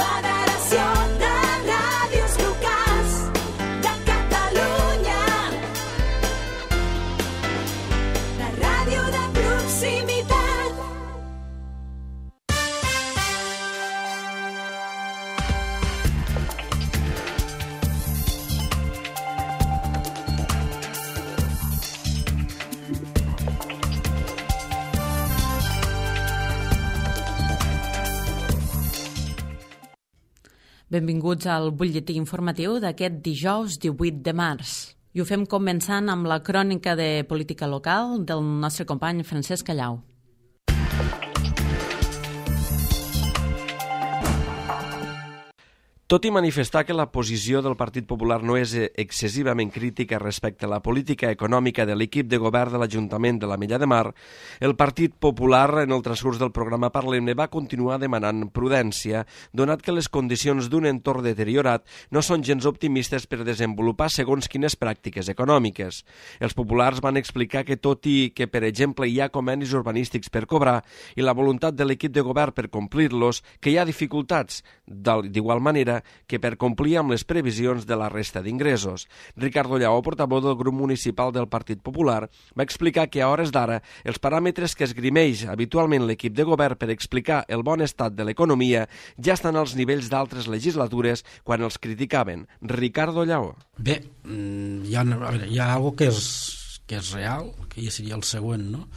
Federació de Ràdios Locals de Catalunya. La ràdio de proximitat. Benvinguts al butlletí informatiu d'aquest dijous 18 de març. I ho fem començant amb la crònica de política local del nostre company Francesc Callau. Tot i manifestar que la posició del Partit Popular no és excessivament crítica respecte a la política econòmica de l'equip de govern de l'Ajuntament de l'Ametlla de Mar, el Partit Popular, en el transcurs del programa Parlem-ne, va continuar demanant prudència, donat que les condicions d'un entorn deteriorat no són gens optimistes per desenvolupar segons quines pràctiques econòmiques. Els populars van explicar que tot i que, per exemple, hi ha convenis urbanístics per cobrar i la voluntat de l'equip de govern per complir-los, que hi ha dificultats, d'igual manera que per complir amb les previsions de la resta d'ingressos. Ricardo Lleó, portaveu del grup municipal del Partit Popular, va explicar que a hores d'ara els paràmetres que esgrimeix habitualment l'equip de govern per explicar el bon estat de l'economia ja estan als nivells d'altres legislatures quan els criticaven. Ricardo Lleó. Bé, hi ha algo que és real, que ja seria el següent, no?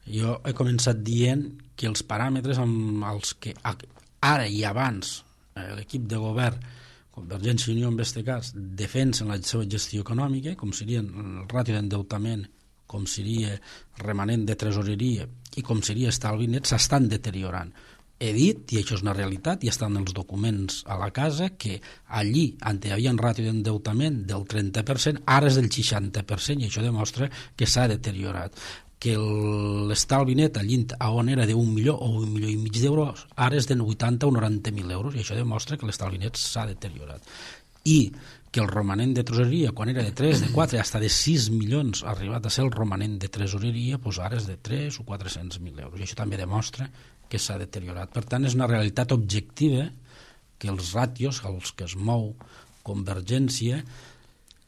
Jo he començat dient que els paràmetres amb els que ara i abans l'equip de govern, Convergència i Unió en aquest cas, defensen la seva gestió econòmica, com serien el ràtio d'endeutament, com seria remanent de tresoreria i com seria estalvi net, s'estan deteriorant. He dit, i això és una realitat, i estan els documents a la casa, que allí on hi havia un ràtio d'endeutament del 30%, ara és del 60%, i això demostra que s'ha deteriorat. Que l'estalvi net allí on era d'1 milió o 1,5 milió d'euros, ara és de 80 o 90.000 euros, i això demostra que l'estalvi net s'ha deteriorat. I que el romanent de tresoreria, quan era de 3, de 4, fins de 6 milions, ha arribat a ser el romanent de tresoreria, doncs ara és de 3 o 400.000 euros, i això també demostra que s'ha deteriorat. Per tant, és una realitat objectiva que els ràtios, els que es mou Convergència,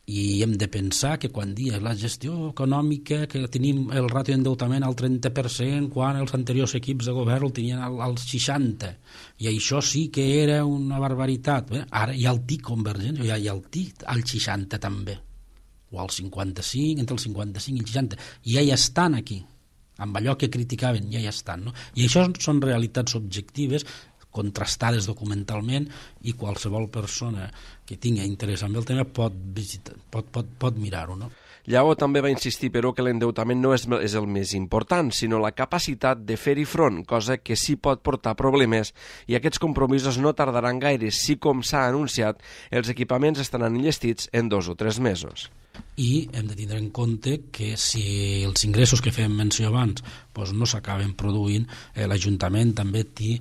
i hem de pensar que quan dia la gestió econòmica, que tenim el ràtio d'endeutament al 30%, quan els anteriors equips de govern el tenien al 60%, i això sí que era una barbaritat. Bé, ara hi ha el TIC convergent, hi ha el TIC al 60% també, o al 55%, entre el 55 i el 60%, i ja hi estan aquí, amb allò que criticaven, ja hi estan, no? I això són realitats objectives, contrastades documentalment, i qualsevol persona que tingui interès en el tema pot mirar-ho, no? Lleó també va insistir, però, que l'endeutament no és el més important, sinó la capacitat de fer-hi front, cosa que sí pot portar problemes, i aquests compromisos no tardaran gaire si, com s'ha anunciat, els equipaments estaran enllestits en 2 o 3 mesos. I hem de tindre en compte que si els ingressos que fèiem menció abans no s'acaben produint, l'Ajuntament també té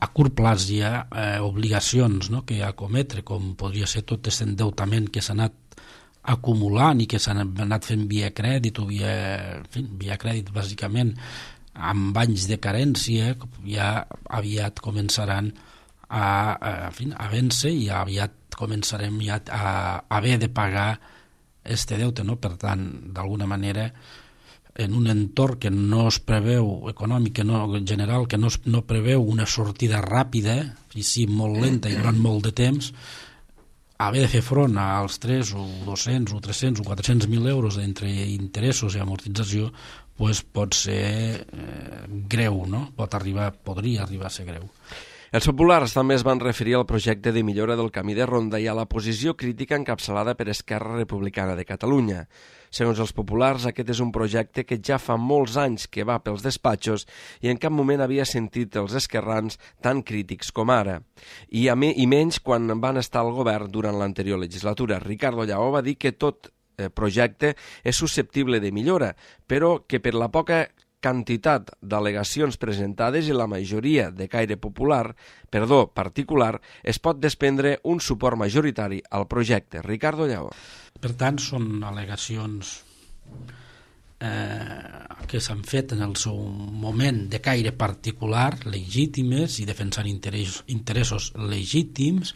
a curt plaç hi ha obligacions que acometre, com podria ser tot aquest endeutament que s'ha anat acumulant i que s'ha anat fent via crèdit o via crèdit bàsicament amb anys de carència, ja aviat començaran a vèncer i aviat començarem ja a haver de pagar este deute, no? Per tant, d'alguna manera, en un entorn que no es preveu, econòmic en general, que no preveu una sortida ràpida, i sí molt lenta i durant molt de temps, haver de fer front als 3 o 200 o 300 o 400.000 euros entre interessos i amortització pot ser greu, no? Podria arribar a ser greu. Els populars també es van referir al projecte de millora del camí de ronda i a la posició crítica encapçalada per Esquerra Republicana de Catalunya. Segons els populars, aquest és un projecte que ja fa molts anys que va pels despatxos i en cap moment havia sentit els esquerrans tan crítics com ara. I menys quan van estar al govern durant l'anterior legislatura. Ricardo Lleó va dir que tot projecte és susceptible de millora, però que per la poca quantitat d'al·legacions presentades i la majoria de caire particular, es pot desprendre un suport majoritari al projecte. Ricardo Lleó. Per tant, són al·legacions que s'han fet en el seu moment de caire particular, legítimes i defensant interessos legítims,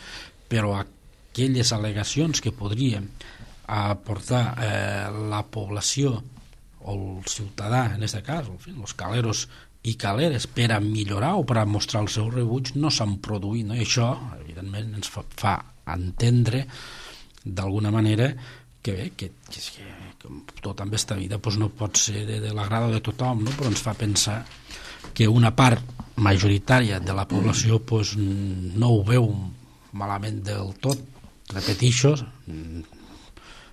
però aquelles al·legacions que podrien aportar la població o el ciutadà, en aquest cas, els caleros i caleres, per a millorar o per a mostrar el seu rebuig, no s'han produït, no? I això, evidentment, ens fa entendre d'alguna manera que bé, que tot en aquesta vida no pot ser de l'agrada de tothom, no? Però ens fa pensar que una part majoritària de la població no ho veu malament del tot, repetixo,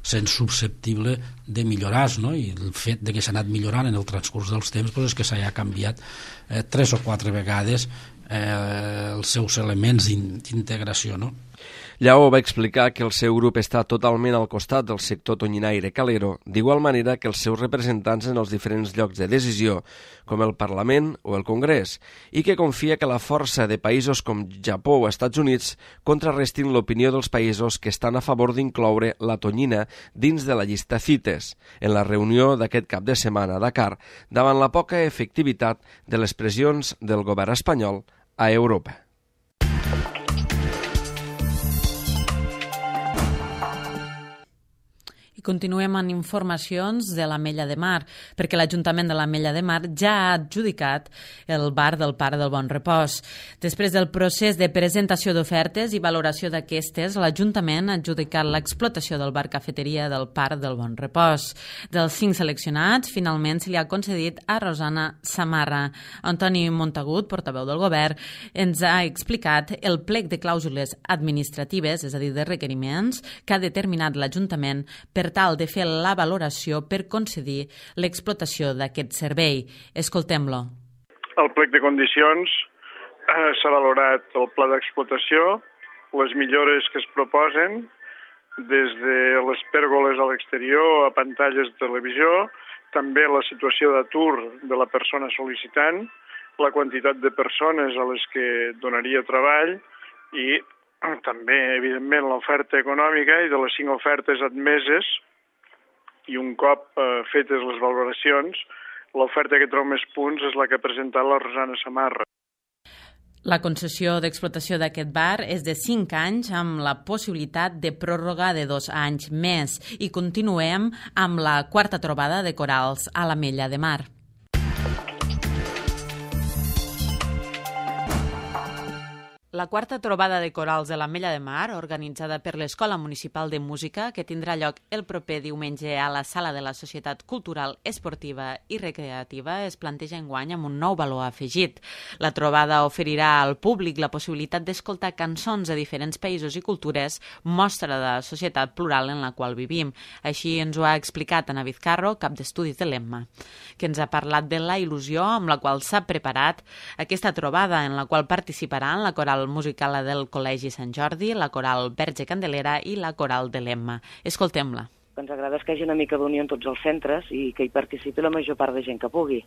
sent susceptible de millorar, no? I el fet de que s'ha anat millorant en el transcurs dels temps és que s'ha canviat 3 o 4 vegades els seus elements d'integració, no? Lleó va explicar que el seu grup està totalment al costat del sector tonyinaire calero, d'igual manera que els seus representants en els diferents llocs de decisió, com el Parlament o el Congrés, i que confia que la força de països com Japó o Estats Units contrarrestin l'opinió dels països que estan a favor d'incloure la tonyina dins de la llista CITES, en la reunió d'aquest cap de setmana a Dakar, davant la poca efectivitat de les pressions del govern espanyol a Europa. Continuem amb informacions de l'Ametlla de Mar, perquè l'Ajuntament de l'Ametlla de Mar ja ha adjudicat el bar del Parc del Bon Repòs. Després del procés de presentació d'ofertes i valoració d'aquestes, l'Ajuntament ha adjudicat l'explotació del bar-cafeteria del Parc del Bon Repòs. Dels 5 seleccionats, finalment se li ha concedit a Rosana Samarra. Antoni Montagut, portaveu del Govern, ens ha explicat el plec de clàusules administratives, és a dir, de requeriments, que ha determinat l'Ajuntament per tal de fer la valoració per concedir l'explotació d'aquest servei. Escoltem-lo. El plec de condicions s'ha valorat el pla d'explotació, les millores que es proposen, des de les pèrgoles a l'exterior a pantalles de televisió, també la situació d'atur de la persona sol·licitant, la quantitat de persones a les que donaria treball i també, evidentment, l'oferta econòmica, i de les 5 ofertes admeses i un cop fetes les valoracions, l'oferta que treu més punts és la que ha presentat la Rosana Samarra. La concessió d'explotació d'aquest bar és de 5 anys amb la possibilitat de pròrroga de 2 anys més i continuem amb la 4ª trobada de corals a l'Ametlla de Mar. La 4ª trobada de corals de l'Ametlla de Mar, organitzada per l'Escola Municipal de Música, que tindrà lloc el proper diumenge a la Sala de la Societat Cultural, Esportiva i Recreativa, es planteja enguany amb un nou valor afegit. La trobada oferirà al públic la possibilitat d'escoltar cançons de diferents països i cultures, mostra de la societat plural en la qual vivim. Així ens ho ha explicat Ana Vizcarro, cap d'estudis de l'EMMA, que ens ha parlat de la il·lusió amb la qual s'ha preparat aquesta trobada, en la qual participaran la coral musical del Col·legi Sant Jordi, la coral Verge Candelera i la coral de l'Emma. Escoltem-la. Ens agrada que hi hagi una mica d'unió en tots els centres i que hi participi la major part de gent que pugui,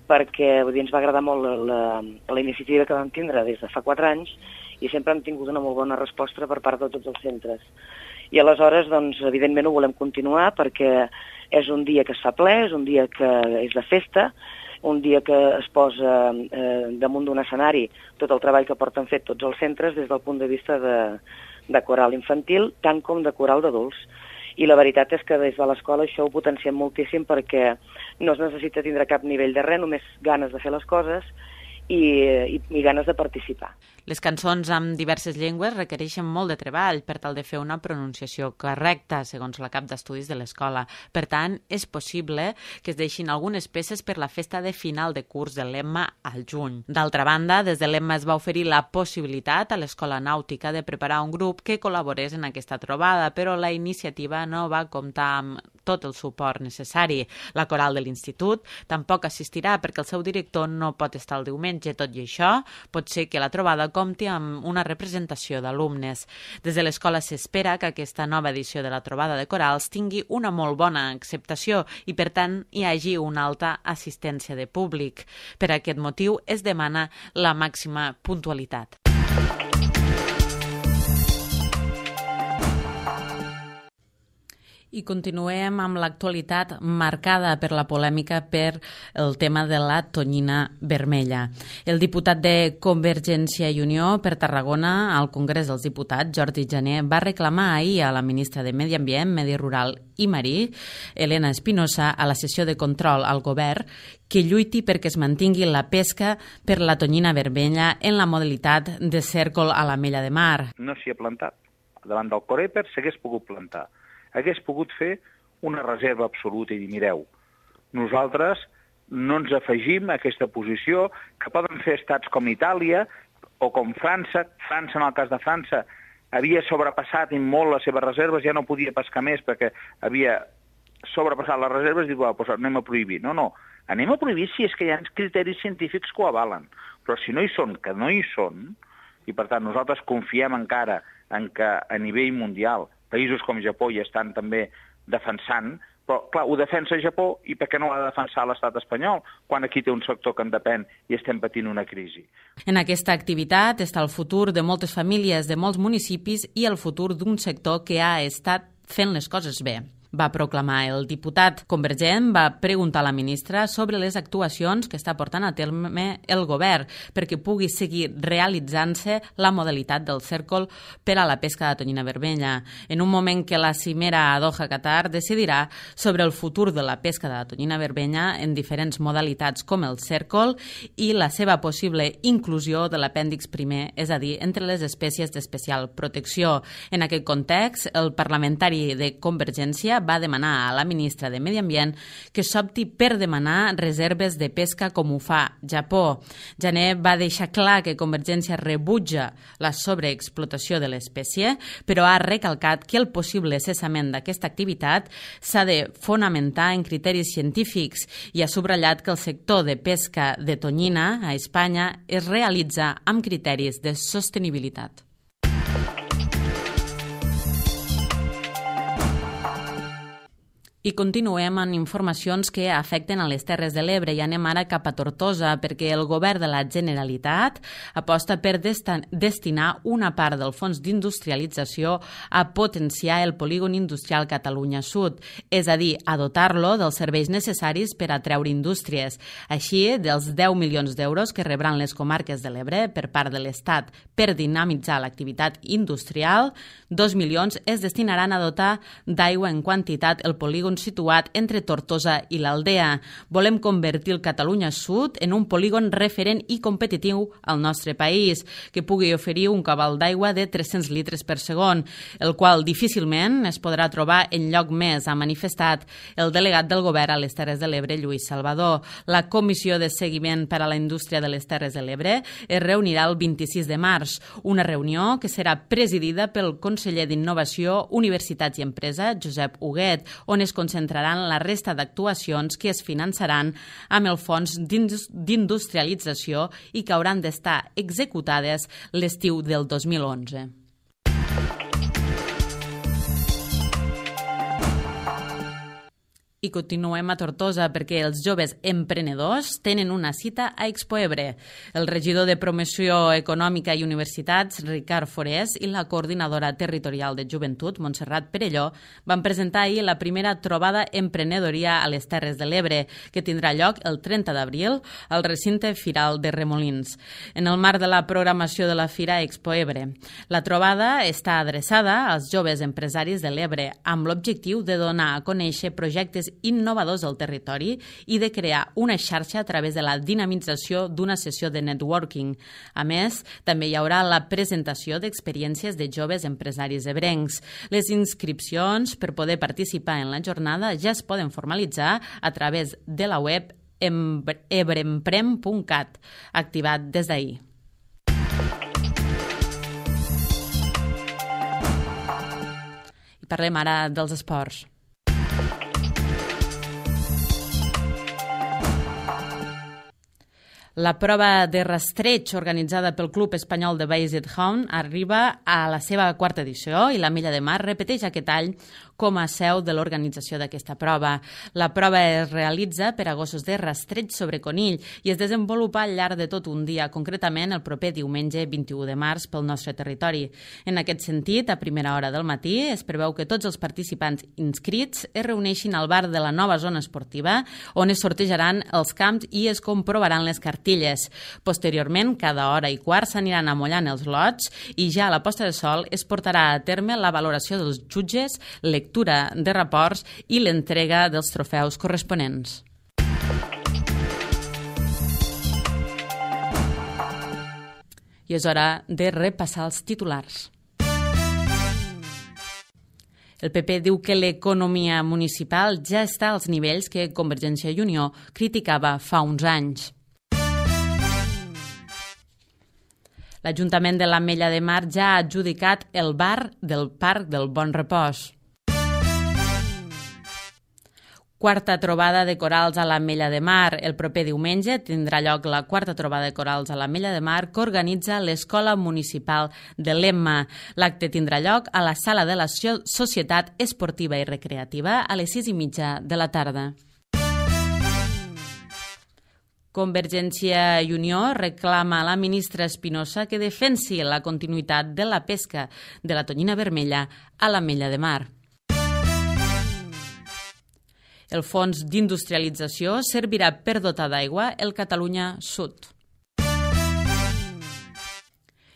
perquè ens va agradar molt la iniciativa que vam tindre des de fa 4 anys i sempre hem tingut una molt bona resposta per part de tots els centres. I aleshores, doncs, evidentment ho volem continuar perquè és un dia que es fa ple, és un dia que és de festa, un dia que es posa damunt d'un escenari tot el treball que porten fet tots els centres des del punt de vista de coral infantil, tant com de coral d'adults. I la veritat és que des de l'escola això ho potenciem moltíssim perquè no es necessita tindre cap nivell de res, només ganes de fer les coses i ganes de participar. Les cançons amb diverses llengües requereixen molt de treball per tal de fer una pronunciació correcta, segons la cap d'estudis de l'escola. Per tant, és possible que es deixin algunes peces per la festa de final de curs de l'EMMA al juny. D'altra banda, des de l'EMMA es va oferir la possibilitat a l'Escola Nàutica de preparar un grup que col·laborés en aquesta trobada, però la iniciativa no va comptar amb tot el suport necessari. La coral de l'institut tampoc assistirà perquè el seu director no pot estar el diumenge. Tot i això, pot ser que la trobada compti amb una representació d'alumnes. Des de l'escola s'espera que aquesta nova edició de la trobada de corals tingui una molt bona acceptació i, per tant, hi hagi una alta assistència de públic. Per aquest motiu es demana la màxima puntualitat. I continuem amb l'actualitat marcada per la polèmica per el tema de la tonyina vermella. El diputat de Convergència i Unió per Tarragona al Congrés dels Diputats, Jordi Jané, va reclamar ahir a la ministra de Medi Ambient, Medi Rural i Marí, Elena Espinosa, a la sessió de control al govern, que lluiti perquè es mantingui la pesca per la tonyina vermella en la modalitat de cèrcol a l'Ametlla de Mar. No s'hi ha plantat. Davant del Coreper s'hagués pogut plantar. Hagués pogut fer una reserva absoluta i dir, mireu, nosaltres no ens afegim a aquesta posició que poden fer estats com Itàlia o com França. França, en el cas de França, havia sobrepassat molt les seves reserves, ja no podia pescar més perquè havia sobrepassat les reserves i diu, doncs anem a prohibir. No, anem a prohibir si és que hi ha criteris científics que ho avalen. Però si no hi són, que no hi són, i per tant nosaltres confiem encara en que a nivell mundial països com Japó hi estan també defensant, però clar, ho defensa Japó i per què no ho ha de defensar l'estat espanyol quan aquí té un sector que en depèn i estem patint una crisi? En aquesta activitat està el futur de moltes famílies de molts municipis i el futur d'un sector que ha estat fent les coses bé. Va proclamar el diputat convergent, va preguntar a la ministra sobre les actuacions que està portant a terme el govern perquè pugui seguir realitzant-se la modalitat del cèrcol per a la pesca de tonyina vermella. En un moment que la cimera a Doha, Qatar, decidirà sobre el futur de la pesca de la tonyina vermella en diferents modalitats com el cèrcol i la seva possible inclusió de l'apèndix primer, és a dir, entre les espècies d'especial protecció. En aquest context, el parlamentari de Convergència va demanar a la ministra de Medi Ambient que s'opti per demanar reserves de pesca com ho fa Japó. Jané va deixar clar que Convergència rebutja la sobreexplotació de l'espècie, però ha recalcat que el possible cessament d'aquesta activitat s'ha de fonamentar en criteris científics i ha subratllat que el sector de pesca de tonyina a Espanya es realitza amb criteris de sostenibilitat. I continuem amb informacions que afecten a les Terres de l'Ebre i anem ara cap a Tortosa perquè el govern de la Generalitat aposta per destinar una part del fons d'industrialització a potenciar el polígon industrial Catalunya Sud, és a dir, a dotar-lo dels serveis necessaris per atreure indústries. Així, dels 10 milions d'euros que rebran les comarques de l'Ebre per part de l'Estat per dinamitzar l'activitat industrial, 2 milions es destinaran a dotar d'aigua en quantitat el polígon situat entre Tortosa i l'Aldea. Volem convertir el Catalunya Sud en un polígon referent i competitiu al nostre país, que pugui oferir un cabal d'aigua de 300 litres per segon, el qual difícilment es podrà trobar en lloc més, ha manifestat el delegat del govern a les Terres de l'Ebre, Lluís Salvador. La Comissió de Seguiment per a la Indústria de les Terres de l'Ebre es reunirà el 26 de març, una reunió que serà presidida pel conseller d'Innovació, Universitats i Empresa, Josep Huguet, on es concentraran la resta d'actuacions que es finançaran amb el fons d'industrialització i que hauran d'estar executades l'estiu del 2011. I continuem a Tortosa perquè els joves emprenedors tenen una cita a Expo Ebre. El regidor de Promoció Econòmica i Universitats, Ricard Forés, i la coordinadora territorial de Joventut, Montserrat Perelló, van presentar ahir la primera trobada emprenedoria a les Terres de l'Ebre, que tindrà lloc el 30 d'abril al recinte Firal de Remolins, en el marc de la programació de la Fira Expo Ebre. La trobada està adreçada als joves empresaris de l'Ebre amb l'objectiu de donar a conèixer projectes innovadors del territori i de crear una xarxa a través de la dinamització d'una sessió de networking. A més, també hi haurà la presentació d'experiències de joves empresaris ebrencs. Les inscripcions per poder participar en la jornada ja es poden formalitzar a través de la web ebreemprem.cat, activat des d'ahir. I parlem ara dels esports. La prova de rastreig organitzada pel Club Espanyol de Basset Hound arriba a la seva quarta edició i l'Ametlla de Mar repeteix aquest any com a seu de l'organització d'aquesta prova. La prova es realitza per a gossos de rastreig sobre conill i es desenvolupa al llarg de tot un dia, concretament el proper diumenge 21 de març pel nostre territori. En aquest sentit, a primera hora del matí, es preveu que tots els participants inscrits es reuneixin al bar de la nova zona esportiva, on es sortejaran els camps i es comprovaran les cartilles. Posteriorment, cada hora i quart s'aniran amollant els lots i ja a la posta de sol es portarà a terme la valoració dels jutges, lectura de reports i l'entrega dels trofeus corresponents. I és hora de repassar els titulars. El PP diu que l'economia municipal ja està als nivells que Convergència i Unió criticava fa uns anys. L'Ajuntament de l'Ametlla de Mar ja ha adjudicat el bar del Parc del Bon Repòs. Quarta trobada de corals a l'Ametlla de Mar. El proper diumenge tindrà lloc la quarta trobada de corals a l'Ametlla de Mar que organitza l'Escola Municipal de l'Emma. L'acte tindrà lloc a la sala de la Societat Esportiva i Recreativa a les 6:30 de la tarda. Convergència i Unió reclama a la ministra Espinosa que defensi la continuïtat de la pesca de la tonyina vermella a l'Ametlla de Mar. El fons d'industrialització servirà per dotar d'aigua el Catalunya Sud.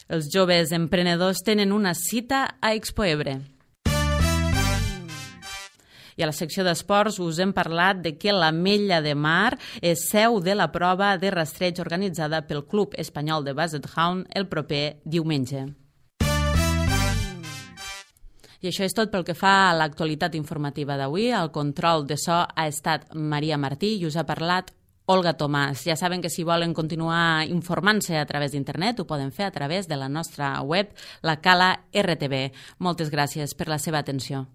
Els joves emprenedors tenen una cita a Expo Ebre. I a la secció d'esports us hem parlat de que l'Ametlla de Mar és seu de la prova de rastreig organitzada pel Club Espanyol de Basset Hound el proper diumenge. I això és tot pel que fa a l'actualitat informativa d'avui. El control de so ha estat Maria Martí i us ha parlat Olga Tomàs. Ja saben que si volen continuar informant-se a través d'internet ho poden fer a través de la nostra web, la Cala RTV. Moltes gràcies per la seva atenció.